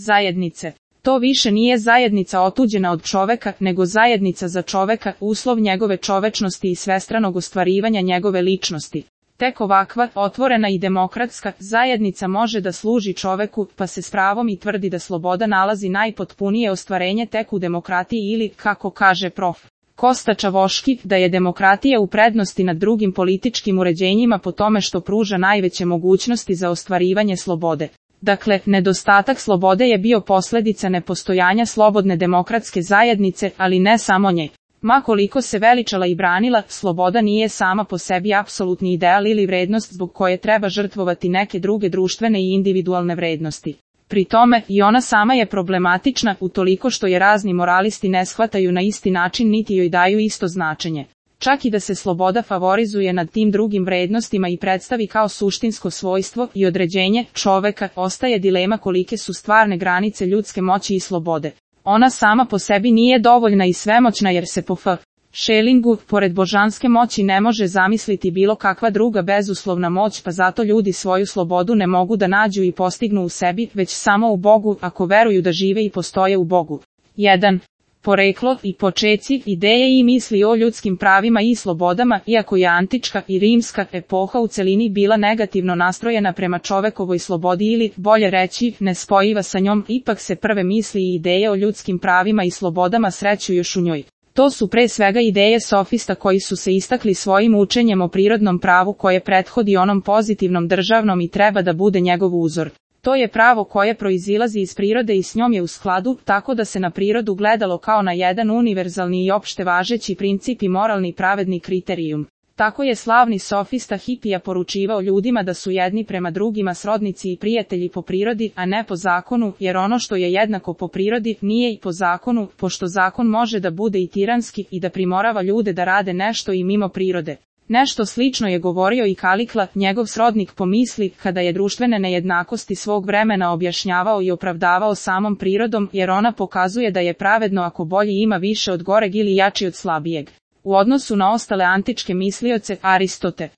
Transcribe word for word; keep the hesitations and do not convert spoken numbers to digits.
zajednice. To više nije zajednica otuđena od čoveka, nego zajednica za čoveka, uslov njegove čovečnosti i svestranog ostvarivanja njegove ličnosti. Tek ovakva, otvorena i demokratska, zajednica može da služi čoveku, pa se s pravom i tvrdi da sloboda nalazi najpotpunije ostvarenje tek u demokratiji ili, kako kaže prof. Kosta Čavoški, da je demokratija u prednosti nad drugim političkim uređenjima po tome što pruža najveće mogućnosti za ostvarivanje slobode. Dakle, nedostatak slobode je bio posljedica nepostojanja slobodne demokratske zajednice, ali ne samo nje. Ma koliko se veličala i branila, sloboda nije sama po sebi apsolutni ideal ili vrednost zbog koje treba žrtvovati neke druge društvene i individualne vrednosti. Pri tome, i ona sama je problematična, utoliko što je razni moralisti ne shvataju na isti način niti joj daju isto značenje. Čak i da se sloboda favorizuje nad tim drugim vrednostima i predstavi kao suštinsko svojstvo i određenje čoveka, ostaje dilema kolike su stvarne granice ljudske moći i slobode. Ona sama po sebi nije dovoljna i svemoćna jer se po F. Schellingu, pored božanske moći ne može zamisliti bilo kakva druga bezuslovna moć, pa zato ljudi svoju slobodu ne mogu da nađu i postignu u sebi, već samo u Bogu, ako veruju da žive i postoje u Bogu. jedan. Poreklo i počeci, ideje i misli o ljudskim pravima i slobodama, iako je antička i rimska epoha u celini bila negativno nastrojena prema čovekovoj slobodi ili, bolje reći, nespojiva sa njom, ipak se prve misli i ideje o ljudskim pravima i slobodama sreću još u njoj. To su pre svega ideje sofista koji su se istakli svojim učenjem o prirodnom pravu koje prethodi onom pozitivnom državnom i treba da bude njegov uzor. To je pravo koje proizilazi iz prirode i s njom je u skladu, tako da se na prirodu gledalo kao na jedan univerzalni i opšte važeći princip i moralni pravedni kriterijum. Tako je slavni sofista Hipija poručivao ljudima da su jedni prema drugima srodnici i prijatelji po prirodi, a ne po zakonu, jer ono što je jednako po prirodi nije i po zakonu, pošto zakon može da bude i tiranski i da primorava ljude da rade nešto i mimo prirode. Nešto slično je govorio i Kalikla, njegov srodnik po misli, kada je društvene nejednakosti svog vremena objašnjavao i opravdavao samom prirodom, jer ona pokazuje da je pravedno ako bolji ima više od goreg ili jači od slabijeg. U odnosu na ostale antičke mislioce, Aristote